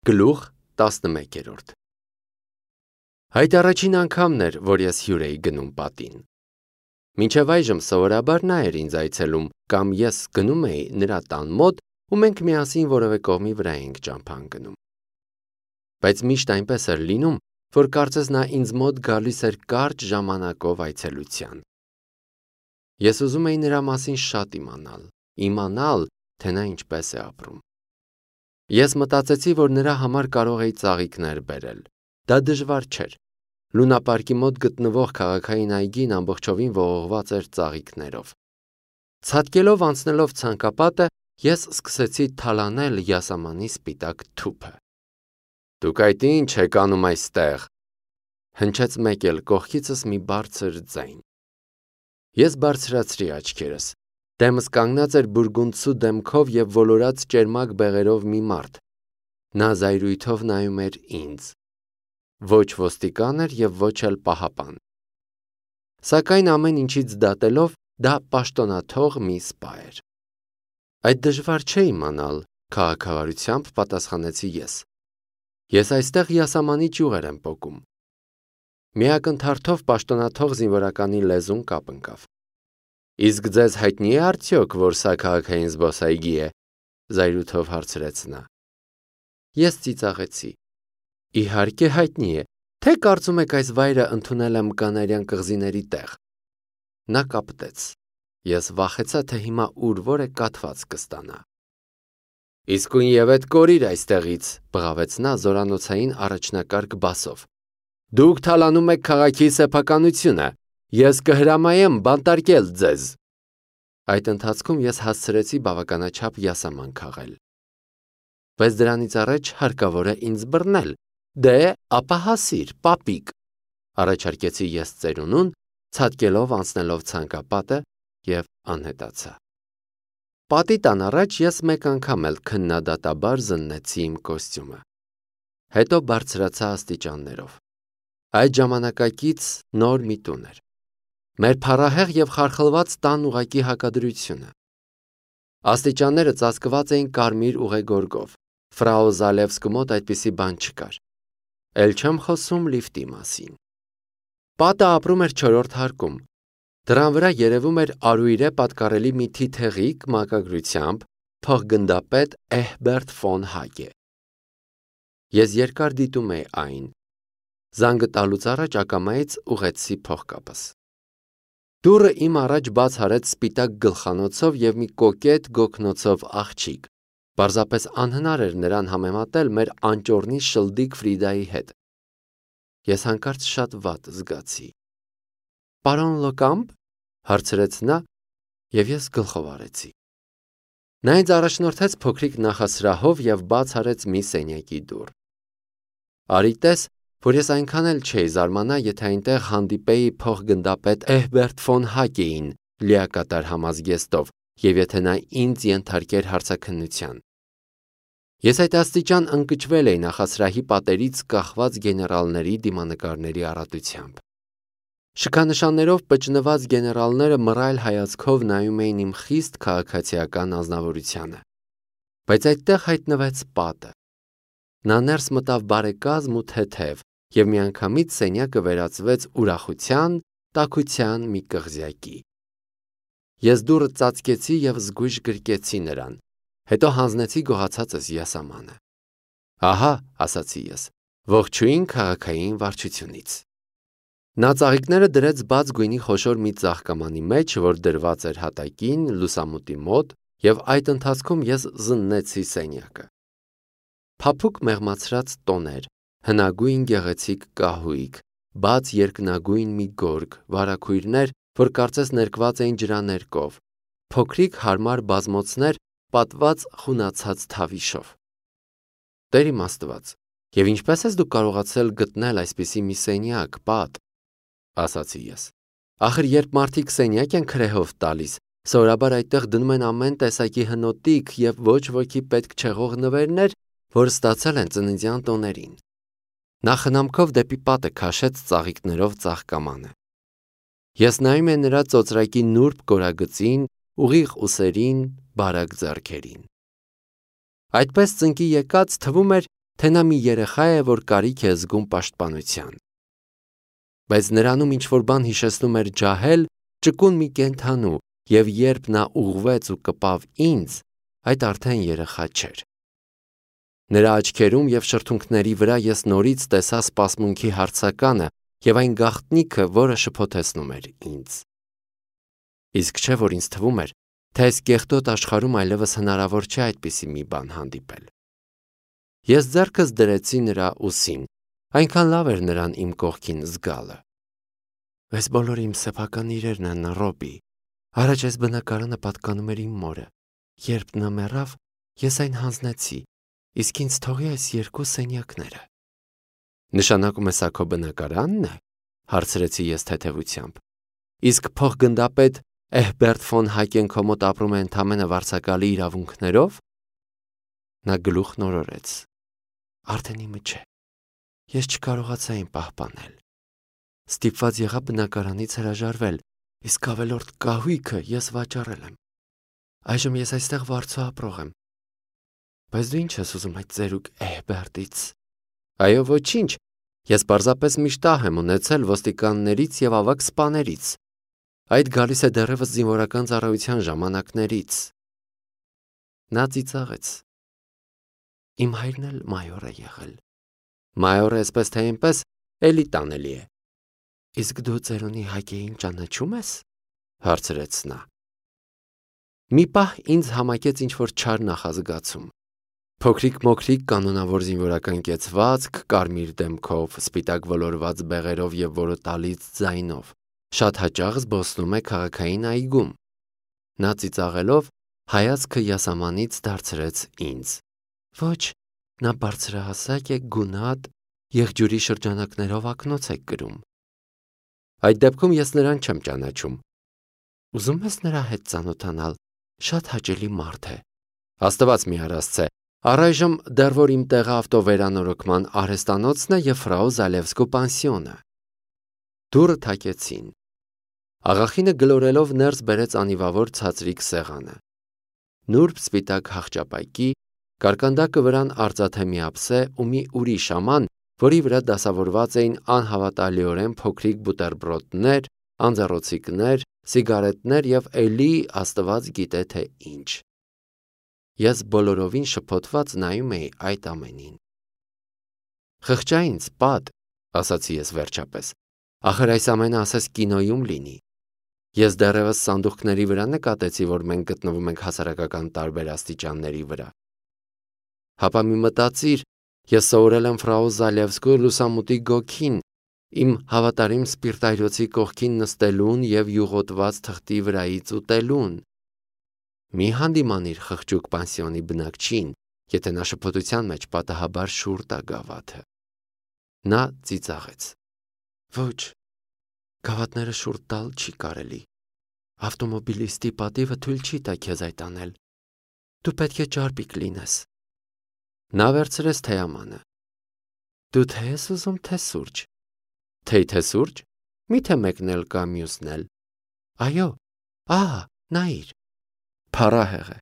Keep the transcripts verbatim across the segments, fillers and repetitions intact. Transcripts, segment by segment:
Գլուխ տասնմեկերորդ Այդ առաջին անգամն էր, որ ես հյուր էի գնում պատին։ Մինչև այժմ սովորաբար նա էր ինձ այցելում, կամ ես գնում էի նրա տան մոտ ու մենք միասին որևէ կողմի վրա էինք ճամփա ընկնում։ Բայց միշտ այնպես էր լինում, որ կարծես նա ինձ մոտ գալիս էր կարճ ժամանակով այցելության։ Ես ուզում էի նրա մասին շատ իմանալ, իմանալ, թե նա ինչպես է ապրում։ Ես մտածեցի, որ նրա համար կարող էի ծաղիկներ բերել։ Դա դժվար չէր։ Լունապարկի մոտ գտնվող քաղաքային այգին ամբողջովին ողողված էր ծաղիկներով։ Ցատկելով անցնելով ցանկապատը, ես սկսեցի թալանել յասամանի սպիտակ թուփը։ Դուք այդ ի՞նչ եք անում այստեղ, հնչեց մեկ էլ կողքիցս մի բարձր ձայն։ Ես բարձրացրի աչքերս։ Դեմս կանգնած էր բուրգունդցու դեմքով և ոլորած ճերմակ բեղերով մի մարդ։ Նա զայրույթով նայում էր ինձ։ Ոչ ոստիկան էր և ոչ էլ պահապան։ Սակայն ամեն ինչից դատելով, դա պաշտոնաթող մի սպա էր։ Այդ դժվար չէ իմանալ, քաղաքավարությամբ պատասխանեցի ես։ Ես այստեղ յասամանի ճյուղեր եմ պոկում։ Մի ակնթարթով պաշտոնաթող զինվորականի լեզուն կապ ընկավ։ Իսկ ձեզ հայտնի է արդյոք, որ սա քաղաքային զբոսայգի է, զայրույթով հարցրեց նա։ Ես ծիծաղեցի։ Իհարկե հայտնի է, թե կարծում եք այս վայրը ընդունել եմ կանարյան կղզիների տեղ։ Նա կապտեց։ Ես վախեցա, թե հիմա ուր որ է կաթված կստանա։ Իսկույն ետ կորիր այստեղից, բղավեց նա զորանոցային առաջնակարգ բասով։ Դուք թալանում եք քաղաքի սեփականությունը։ Ես կհրամայեմ բանտարկել ձեզ։ Այդ ընթացքում ես հասցրեցի բավականաչափ յասաման քաղել։ Բայց դրանից առաջ հարկավոր է ինձ բռնել։ Դե, ապա հասիր, պապիկ, առաջարկեցի ես ծերունուն, ցատկելով անցնելով ցանկապատը և անհետացա։ Պատի տան առաջ ես մեկ անգամ էլ քննադատաբար զննեցի իմ կոստյումը։ Հետո բարձրացա աստիճաններով։ Այդ ժամանակակից նոր մի տուն էր։ Մեր փառահեղ և խարխլված տան ուղղակի հակադրությունը։ Աստիճանները ծածկված էին կարմիր ուղեգորգով։ Ֆրաու Զալևսկու մոտ այդպիսի բան չկար։ Էլ չեմ խոսում լիֆտի մասին։ Պատը ապրում էր չորրորդ հարկում։ Դռան վրա երևում էր արույրե պատկառելի մի թիթեղիկ մակագրությամբ փոխգնդապետ Էհբերտ ֆոն Հագե։ Ես երկար դիտում էի այն։ Զանգը տալուց առաջ ակամայից ուղեցի փողկապս։ Դուռը իմ առաջ բաց արեց սպիտակ գլխանոցով և մի կոկետ գոգնոցով աղջիկ։ Պարզապես անհնար էր նրան համեմատել մեր անճոռնի շլդիկ Ֆրիդայի հետ։ Ես հանկարծ շատ վատ զգացի։ Պարոն Լոկամպ, հարցրեց նա, և ես գլխով արեցի։ Նա ինձ առաջնորդեց փոքրիկ նախասրահով և բաց արեց մի սենյակի դուռ։ Արի տես, որ ես այնքան էլ չէի զարմանա, եթե այնտեղ հանդիպեի փոխգնդապետ Էհբերտ ֆոն Հագեին լիակատար համազգեստով և եթե նա ինձ ենթարկեր հարցաքննության։ Ես այդ աստիճան ընկճվել էի նախասրահի պատերից կախված գեներալների դիմանկարների առատությամբ։ Շքանշաններով պճնված գեներալները մռայլ հայացքով նայում էին իմ խիստ քաղաքացիական անձնավորությանը։ Բայց այդտեղ հայտնվեց պատը։ Նա ներս մտավ բարեկազմ ու թեթև, և միանգամից սենյակը վերածվեց ուրախության, տաքության մի կղզյակի։ Ես դուռը ծածկեցի և զգույշ գրկեցի նրան, հետո հանձնեցի գողացածս յասամանը։ Ահա, ասացի ես, ողջույն քաղաքային վարչությունից։ Նա ծաղիկները դրեց բաց գույնի խոշոր մի ծաղկամանի մեջ, որ դրված էր հատակին, լուսամուտի մոտ, և այդ ընթացքում ես զննեցի սենյակը։ Փափուկ մեղմացրած տոներ, հնագույն գեղեցիկ կահույք, բաց երկնագույն մի գորգ, վարագույրներ, որ կարծես ներկված էին ջրաներկով, փոքրիկ հարմար բազմոցներ պատված խունացած թավիշով։ Տեր իմ Աստված, և ինչպես ես դուք կարողացել գտնել այսպիսի մի սենյակ, պատ, ասացի ես։ Ախր երբ մարդիկ սենյակ են քրեհով տալիս, սովորաբար այդտեղ դնում են ամեն տեսակի հնոտիկ և ոչ ոքի պետք չեղող նվերներ, որ ստացել են ծննդյան տոներին։ Նա խնամքով դեպի պատը քաշեց ծաղիկներով ծաղկամանը։ Ես նայում եմ նրա ծոծրակի նուրբ կորագծին, ուղիղ ուսերին, բարակ ձեռքերին։ Այդպես ծնկի եկած թվում էր, թե նա մի երեխա է, որ կարիք է զգում պաշտպանության։ Բայց նրանում ինչ-որ բան հիշեցնում էր ջահել, ճկուն մի կենդանու, և երբ նա ուղղվեց ու կպավ ինձ, այդ արդեն երեխա չէր։ Նրա աչքերում և շրթունքների վրա ես նորից տեսա սպասմունքի հարցականը և այն գաղտնիքը, որը շփոթեցնում էր ինձ։ Իսկ չէ, որ ինձ թվում էր, թե այս կեղտոտ աշխարհում այլևս հնարավոր չէ այդպիսի մի բան հանդիպել։ Ես ձեռքս դրեցի նրա ուսին, այնքան լավ էր նրան իմ կողքին զգալը։ Այս բոլորը իմ սեփական իրերն են, Ռոբի։ Առաջ այս բնակարանը պատկանում էր իմ մորը։ Երբ նա մեռավ, ես այն հանձնեցի, իսկ ինձ թողի այս երկու սենյակները։ Նշանակում է սա քո բնակարանն է, հարցրեցի ես թեթևությամբ։ Իսկ փոխգնդապետ Էհբերտ ֆոն Հայկեն քո մոտ ապրում է ընդամենը վարձակալի իրավունքներով։ Նա գլուխ նորորեց։ Արդեն իմը չէ։ Ես չկարողացա այն պահպանել։ Ստիպված եղա բնակարանից հրաժարվել, իսկ ավելորդ կահույքը ես վաճառել եմ։ Այժմ ես այստեղ վարձու ապրող եմ։ Բայց դու ինչ ես ուզում այդ ծերուկ Էհբերտից։ Այո, ոչինչ։ Ես պարզապես միշտ ահ եմ ունեցել ոստիկաններից և ավագ սպաներից։ Այդ գալիս է դեռևս զինվորական ծառայության ժամանակներից։ Նա ծիծաղեց։ Իմ հայրն էլ մայոր է եղել։ Մայորը այսպես թե այնպես էլի տանելի է։ Իսկ դու ծերունի Հայկեին ճանաչում ես, հարցրեց նա։ Մի պահ ինձ համակեց ինչ-որ չար նախազգացում։ Փոքրիկ-մոքրիկ կանոնավոր զինվորական կեցվածք, կարմիր դեմքով, սպիտակ ոլորված բեղերով և որոտալից ձայնով, շատ հաճախ զբոսնում է քաղաքային այգում։ Նա ծիծաղելով հայացքը յասամանից դարձրեց ինձ։ Ոչ, նա բարձրահասակ է, գունատ, եղջյուրի շրջանակներով ակնոց է կրում։ Այդ դեպքում ես նրան չեմ ճանաչում։ Ուզում ես նրա հետ ծանոթանալ, շատ հաճելի մարդ է։ Աստված մի առասցե, առայժմ դեռ որ իմ տեղը ավտովերանորոգման արհեստանոցն է և ֆրաու Զալևսկու պանսիոնը։ Դուռը թակեցին։ Աղախինը գլորելով ներս բերեց անիվավոր ցածրիկ սեղանը։ Նուրբ սպիտակ հախճապայքի, կարկանդակը վրան արծաթե մի ափսե ու մի ուրիշ աման, որի վրա դասավորված էին անհավատալիորեն փոքրիկ բուտերբրոդներ, անձեռոցիկներ, սիգարետներ և էլի Աստված գիտե թե ինչ։ Ես բոլորովին շփոթված նայում էի այդ ամենին։ Խղճա ինձ, պատ, ասացի ես վերջապես, ախր այս ամենը ասես կինոյում լինի։ Ես դեռևս սանդուղքների վրա նկատեցի, որ մենք գտնվում ենք հասարակական տարբեր աստիճանների վրա։ Հապա մի մտածիր, ես սովորել եմ ֆրաու Զալևսկու լուսամուտի գոգին, իմ հավատարիմ սպիրտայրոցի կողքին նստելուն և յուղոտված թղթի վրայից ուտելուն։ Մի հանդիմանիր խղճուկ պանսիոնի բնակչին, եթե նա շփոթության մեջ պատահաբար շուռ տա գավաթը։ Նա ծիծաղեց։ Ոչ, գավաթները շուռ տալ չի կարելի։ Ավտոմոբիլիստի պատիվը թույլ չի տա քեզ այդ անել։ Դու պետք է ճարպիկ լինես։ Նա վերցրեց թեյամանը։ Դու թե ես ուզում, թե սուրճ։ Թեյ թե սուրճ։ Միթե մեկն էլ կա մյուսն էլ։ Այո, ահա, նայիր։ Փառահեղ է,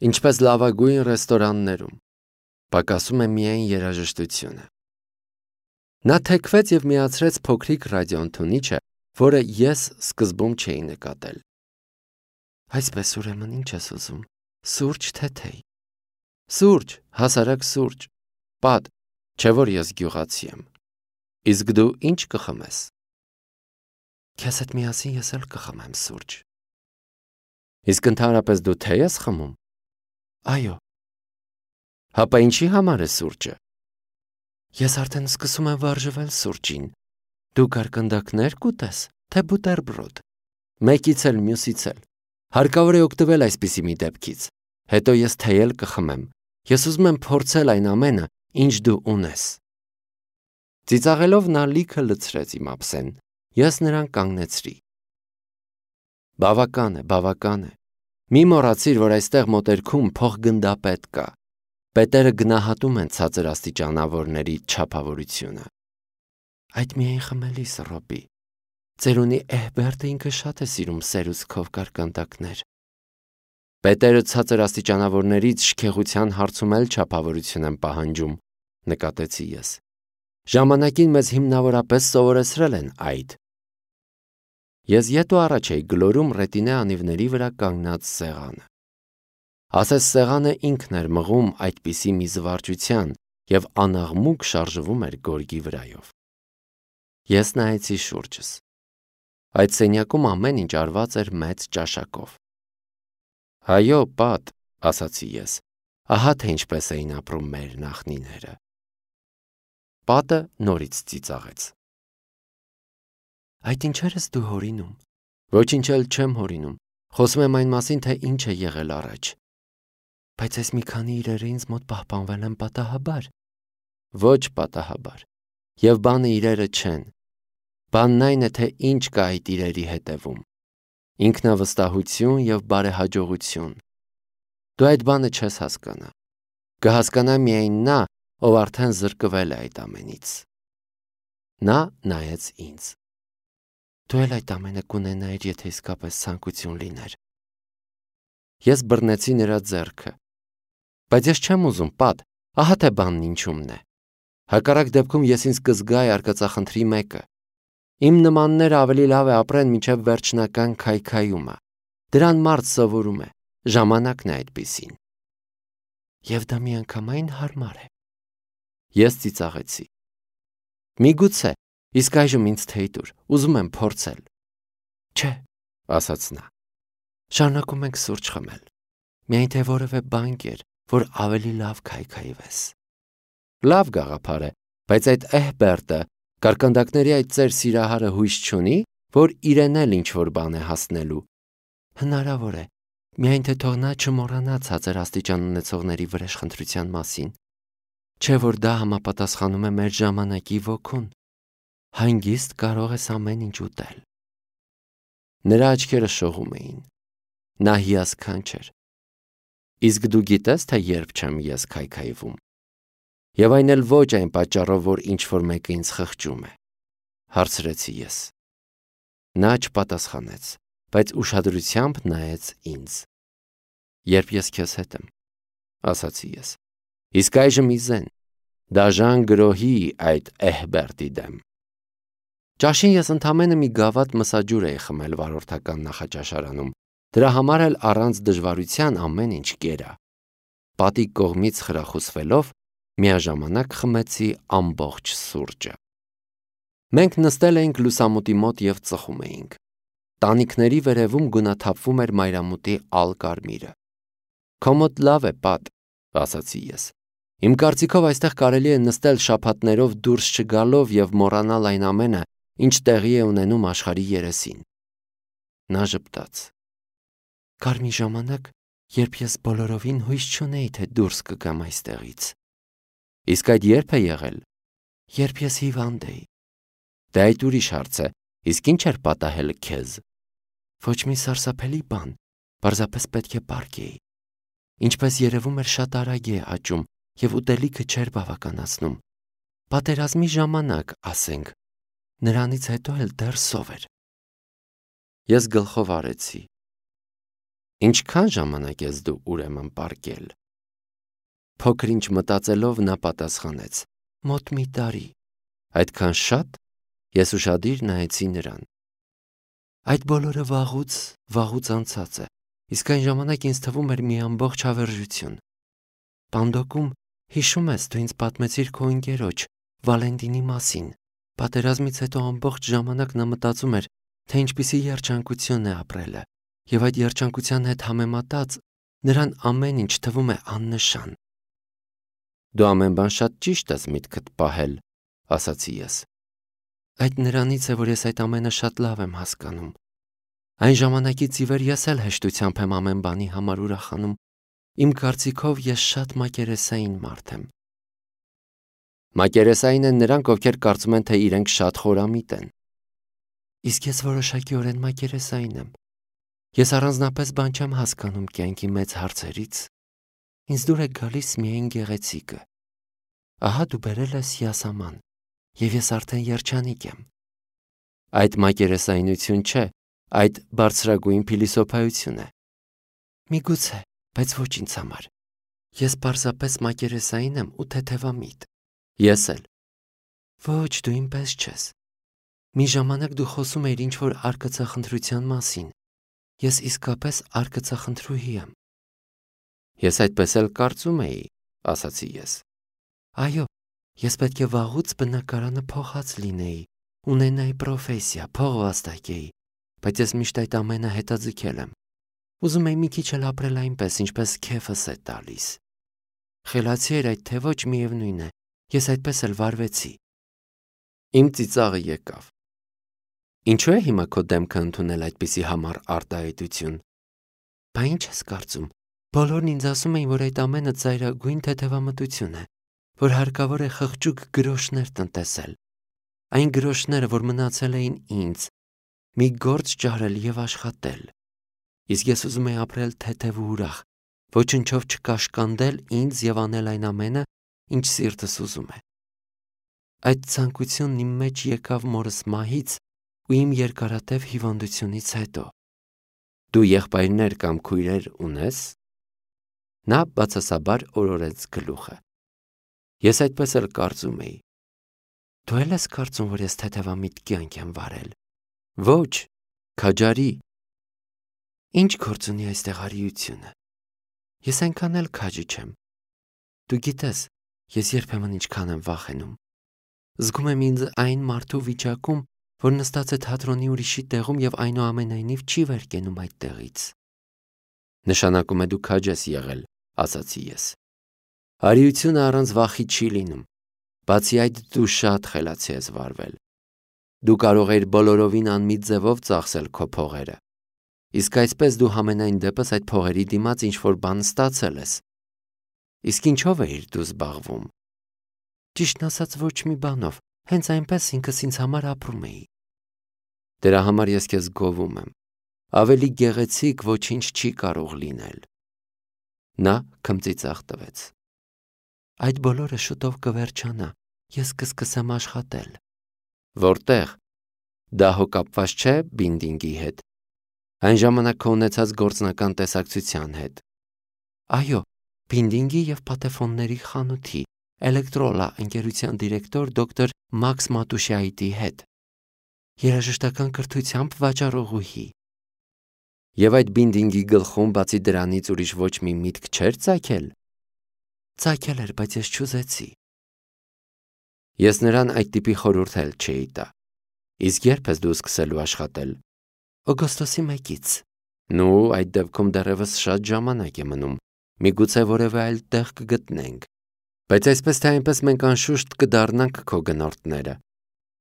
ինչպես լավագույն ռեստորաններում։ Պակասում է միայն երաժշտությունը։ Նա թեքվեց և միացրեց փոքրիկ ռադիոընդունիչը, որը ես սկզբում չէի նկատել։ Այսպես ուրեմն ինչ ես ուզում, սուրճ թե թեյ։ Սուրճ, հասարակ սուրճ։ Պատ, չէ որ ես գյուղացի եմ։ Իսկ դու ինչ կխմես։ Քեզ հետ միասին ես էլ կխմեմ սուրճ։ Իսկ ընդհանրապես դու թե ես խմում։ Այո։ Հապա ինչի համար է սուրճը։ Ես արդեն սկսում եմ վարժվել սուրճին։ Դու կարկանդակներ կուտես, թե բուտերբրոդ։ Մեկից էլ մյուսից էլ։ Հարկավոր է օգտվել այսպիսի մի դեպքից։ Հետո ես թեյ կխմեմ։ Ես ուզում եմ փորձել այն ամենը, ինչ դու ունես։ Ծիծաղելով նա լիքը լցրեց իմ ափսեն։ Ես նրան կանգնեցրի։ Բավական է, բավական է։ Մի մոռացիր, որ այստեղ մոտերքում փոխգնդապետ կա։ Պետերը գնահատում են ցածր աստիճանավորների չափավորությունը։ Այդ միայն խմելիս, Ռոբի։ Ծերունի Էհբերտը ինքը շատ է սիրում սերուցքով կարկանդակներ։ Պետերը ցածր աստիճանավորներից շքեղության հարցում էլ չափավորություն են պահանջում, նկատեցի ես։ Ժամանակին մեզ հիմնավորապես սովորեցրել են այդ։ Ես ետ ու առաջ էի գլորում ռետինե անիվների վրա կանգնած սեղանը։ Ասես սեղանը ինքն էր մղում այդպիսի մի զվարճության և անաղմուկ շարժվում էր գորգի վրայով։ Ես նայեցի շուրջս։ Այդ սենյակում ամեն ինչ արված էր մեծ ճաշակով։ Այո, պատ, ասացի ես, ահա թե ինչպես էին ապրում մեր նախնիները։ Պատը նորից ծիծաղեց։ Այդ ինչեր ես դու հորինում։ Ոչինչ էլ չեմ հորինում, խոսում եմ այն մասին, թե ինչ է եղել առաջ։ Բայց այս մի քանի իրերը ինձ մոտ պահպանվել են պատահաբար։ Ոչ պատահաբար։ Եվ բանը իրերը չեն։ Բանն այն է, թե ինչ կա այդ իրերի հետևում։ Ինքնավստահություն և բարեհաջողություն։ Դու այդ բանը չես հասկանա։ Կհասկանա միայն նա, ով արդեն զրկվել է այդ ամենից։ Նա նայեց ինձ։ Դու էլ այդ ամենը կունենայիր, եթե իսկապես ցանկություն լիներ։ Ես բռնեցի նրա ձեռքը։ Բայց ես չեմ ուզում, պատ, ահա թե բանն ինչումն է։ Հակառակ դեպքում ես ինձ կզգայի արկածախնդրի մեկը։ Իմ նմանները ավելի լավ է ապրեն մինչև վերջնական քայքայումը։ Դրան մարդ սովորում է, ժամանակն է այդպիսին։ Եվ դա միանգամայն հարմար է։ Ես ծիծաղեցի։ Միգուցե, իսկ այժմ ինձ թեյ տուր, ուզում եմ փորձել։ Չէ, ասաց նա։ Շարունակում ենք սուրճ խմել։ Միայն թե որևէ բան կեր, որ ավելի լավ քայքայվես։ Լավ գաղափար է, բայց այդ Էհբերտը, կարկանդակների այդ ծեր սիրահարը հույս չունի, որ իրեն էլ ինչ-որ բան է հասնելու։ Հնարավոր է, միայն թե թող նա չմոռանա ցածր աստիճան ունեցողների վրեժխնդրության մասին։ Չէ որ դա համապատասխանում է մեր ժամանակի ոգուն։ Հանգիստ կարող ես ամեն ինչ ուտել։ Նրա աչքերը շողում էին։ Նա հիասքանչ էր։ Իսկ դու գիտես, թե երբ չեմ ես քայքայվում։ Եվ այն էլ ոչ այն պատճառով, որ ինչ-որ մեկը ինձ խղճում է, հարցրեցի ես։ Նա չպատասխանեց, բայց ուշադրությամբ նայեց ինձ։ Երբ ես քեզ հետ եմ, ասացի ես։ Իսկ այժմ իզեն, դաժան գրոհի այդ Էհբերտի դեմ։ Ճաշին ես ընդամենը մի գավաթ մսաջուր էի խմել վարորդական նախաճաշարանում, դրա համար էլ առանց դժվարության ամեն ինչ կերա։ Պատի կողմից խրախուսվելով, միաժամանակ խմեցի ամբողջ սուրճը։ Մենք նստել էինք լուսամուտի մոտ և ծխում էինք։ Տանիքների վերևում գունաթափվում էր մայրամուտի ալ կարմիրը։ Քո մոտ լավ է, պատ, ասացի ես։ Իմ կարծիքով այստեղ կարելի է նստել շաբաթներով դուրս չգալով և մոռանալ այն ամենը, ինչ տեղի է ունենում աշխարհի երեսին։ Նա ժպտաց։ Կար մի ժամանակ, երբ ես բոլորովին հույս չունեի, թե դուրս կգամ այստեղից։ Իսկ այդ երբ է եղել։ Երբ ես հիվանդ էի։ Դե այդ ուրիշ հարց է, իսկ ինչ էր պատահել քեզ։ Ոչ մի սարսափելի բան, պարզապես պետք է պառկեի։ Ինչպես երևում էր, շատ արագ է աճում և ուտելիքը չէր բավականացնում։ Պատերազմի ժամանակ, ասենք, նրանից հետո էլ դեռ սով էր։ Ես գլխով արեցի։ Ինչքան ժամանակ ես դու ուրեմն պառկել։ Փոքր ինչ մտածելով նա պատասխանեց. Մոտ մի տարի։ Այդքան շատ։ Ես ուշադիր նայեցի նրան։ Այդ բոլորը վաղուց, վաղուց անցած է, իսկ այն ժամանակ ինձ թվում էր մի ամբողջ հավերժություն։ Պանդոկում, հիշում ես, դու ինձ պատմեցիր քո ընկերոջ, Վալենտինի մասին։ Պատերազմից հետո ամբողջ ժամանակ նա մտածում էր, թե ինչպիսի երջանկություն է ապրելը, և այդ երջանկության հետ համեմատած նրան ամեն ինչ թվում է աննշան։ Դու ամեն բան շատ ճիշտ ես միտքդ պահել, ասացի ես։ Այդ նրանից է, որ ես այդ ամենը շատ լավ եմ հասկանում։ Այն ժամանակից ի վեր ես էլ հեշտությամբ եմ ամեն բանի համար ուրախանում։ Իմ կարծիքով ես շատ մակերեսային մարդ եմ։ Մակերեսային են նրանք, ովքեր կարծում են, թե իրենք շատ խորամիտ են։ Իսկ ես որոշակիորեն մակերեսային եմ։ Ես առանձնապես բան չեմ հասկանում կյանքի մեծ հարցերից։ Ինձ դուր է գալիս միայն գեղեցիկը։ Ահա դու բերել ես յասաման, և ես արդեն երջանիկ եմ։ Այդ մակերեսայնություն չէ, այդ բարձրագույն փիլիսոփայություն է։ Միգուցե, բայց ոչ ինձ համար։ Ես պարզապես մակերեսային եմ ու թեթևամիտ։ Ես էլ։ Ոչ, դու ինպես չես։ Մի ժամանակ դու խոսում էիր ինչ-որ արկածախնդրության մասին։ Ես իսկապես արկածախնդրուհի եմ։ Ես այդպես էլ կարծում էի, ասացի ես։ Այո, ես պետք է վաղուց բնակարանը փոխած լինեի, ունենայի պրոֆեսիա, փող վաստակեի, բայց ես միշտ այդ ամենը հետաձգել եմ։ Ուզում էի մի քիչ էլ ապրել այնպես, ինչպես քեֆս է տալիս։ Խելացի էր այդ թե ոչ, միևնույն է, ես այդպես էլ վարվեցի։ Իմ ծիծաղը եկավ։ Ինչու է հիմա քո դեմքը ընդունել այդպիսի համառ արտահայտություն։ Բա ինչ ես կարծում։ Բոլորն ինձ ասում էին, որ այդ ամենը ծայրագույն թեթևամտություն է, որ հարկավոր է խղճուկ գրոշներ տնտեսել։ Այն գրոշները, որ մնացել էին ինձ, մի գործ ճարել եւ աշխատել։ Իսկ ես ուզում եի ապրել թեթև ու ուրախ, ոչնչով չկաշկանդել ինձ եւ անել այն ամենը, ինչ սիրտս ուզում է։ Այդ ցանկությունն իմ մեջ եկավ մորս մահից ու իմ երկարատև հիվանդությունից հետո։ Դու եղբայրներ կամ քույրեր ունես։ Նա բացասաբար օրորեց գլուխը։ Ես այդպես էլ կարծում էի։ Դու էլ ես կարծում, որ ես թեթևամիտ կյանք եմ վարել։ Ոչ, քաջարի։ Ինչ գործ ունի այստեղ արիությունը։ Ես այնքան էլ քաջի չեմ։ Դու գիտես, ես երբեմն ինչքան եմ վախենում։ Զգում եմ ինձ այն մարդու վիճակում, որ նստած է թատրոնի ուրիշի տեղում եւ այնուամենայնիվ չի վեր կենում այդ տեղից։ Նշանակում է դու քաջ ես եղել, ասացի ես։ Արիությունը առանց վախի չի լինում։ Բացի այդ, դու շատ խելացի ես վարվել։ Դու կարող ես բոլորովին անմիտ ձևով ծախսել քո փողերը։ Իսկ այսպես դու համենայն դեպս այդ փողերի դիմաց ինչ-որ բան ստացել ես։ Իսկ ինչով էիր դու զբաղվում։ Ճիշտն ասած, ոչ մի բանով, հենց այնպես ինքս ինձ համար ապրում էի։ Դրա համար ես քեզ գովում եմ։ Ավելի գեղեցիկ ոչինչ չի կարող լինել։ Նա քմծիծաղ տվեց։ Այդ բոլորը շուտով կվերջանա, ես կսկսեմ աշխատել։ Որտեղ։ Դա հո կապված չէ բինդինգի հետ։ Այն ժամանակ քո ունեցած գործնական տեսակցության հետ։ Այո, բինդինգի եւ պատեֆոնների խանութի, Էլեկտրոլա ընկերության դիրեկտոր դոկտոր Մաքս Մատուշյայիդի հետ։ Երաժշտական կրթությամբ վաճառողուհի։ Եվ այդ բինդինգի գլխում բացի դրանից ուրիշ ոչ մի միտք չէր ծագել։ Ծագել էր, բայց ես չուզեցի։ Ես նրան այդ տիպի խորհուրդ էլ չէի տա։ Իսկ երբ ես դու սկսելու աշխատել։ Օգոստոսի մեկից։ Նու, այդ դեպքում դեռևս շատ ժամանակ է մնում։ Միգուցե որևէ այլ տեղ կգտնենք։ Բայց այսպես թե այնպես մենք անշուշտ կդառնանք քո գնորդները։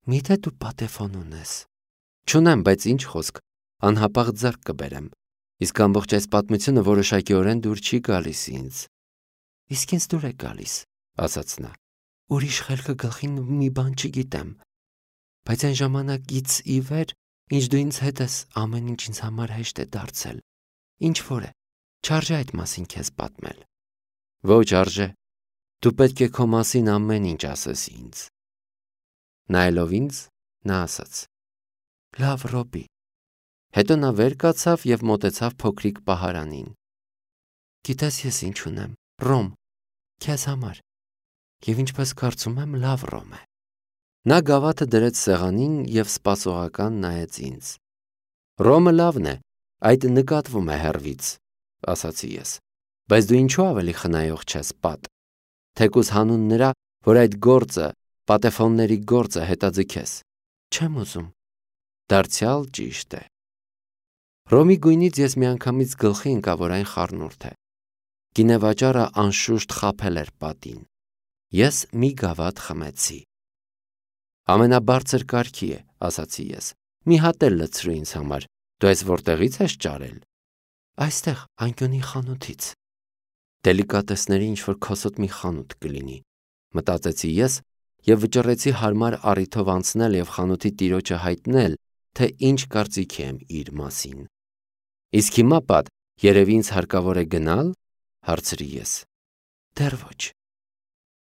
Միթե դու պատեֆոն ունես։ Չունեմ, բայց ինչ խոսք, անհապաղ ձեռք կբերեմ։ Իսկ ամբողջ այս պատմությունը որոշակիորեն դուր չի գալիս ինձ։ Իսկ ինձ դուր է գալիս, ասաց նա։ Ուրիշ խելքը գլխին մի բան չգիտեմ։ Բայց այն ժամանակից ի վեր, ինչ դու ինձ հետ ես, ամեն ինչ ինձ համար հեշտ է դարձել։ Ինչ որ է, չարժե այդ մասին քեզ պատմել։ Ոչ արժե։ Դու պետք է քո մասին ամեն ինչ ասես ինձ։ Նայելով ինձ, նա ասաց. Լավ, Ռոբի։ Հետո նա վեր կացավ եւ մոտեցավ փոքրիկ պահարանին։ Գիտես ես ինչ ունեմ, ռոմ, քեզ համար։ Եվ ինչպես կարծում եմ, լավ ռոմ է։ Նա գավաթը դրեց սեղանին եւ սպասողական նայեց ինձ։ Ռոմը լավն է, այդ նկատվում է հեռվից, ասացի ես։ Բայց դու ինչու ավելի խնայող չես, պատ։ Թեկուզ հանուն նրա, որ այդ գործը, պատեֆոնների գործը հետաձգես։ Չեմ ուզում։ Դարձյալ ճիշտ է։ Ռոմի գույնից ես միանգամից գլխի ընկա, որ այն խառնուրդ է։ Գինեվաճառը անշուշտ խաբել էր պատին։ Ես մի գավաթ խմեցի։ Ամենաբարձր կարգի է, ասացի ես։ Մի հատ էլ լցրու ինձ համար։ Դու այս որտեղից ես ճարել։ Այստեղ, անկյունի խանութից։ Դելիկատեսների ինչ-որ քոսոտ մի խանութ կլինի, մտածեցի ես եւ վճռեցի հարմար առիթով անցնել եւ խանութի տիրոջը հայտնել, թե ինչ կարծիքի եմ իր մասին։ Իսկ հիմա, պատ, երևի ինձ հարկավոր է գնալ, հարցրի ես։ Դեռ ոչ,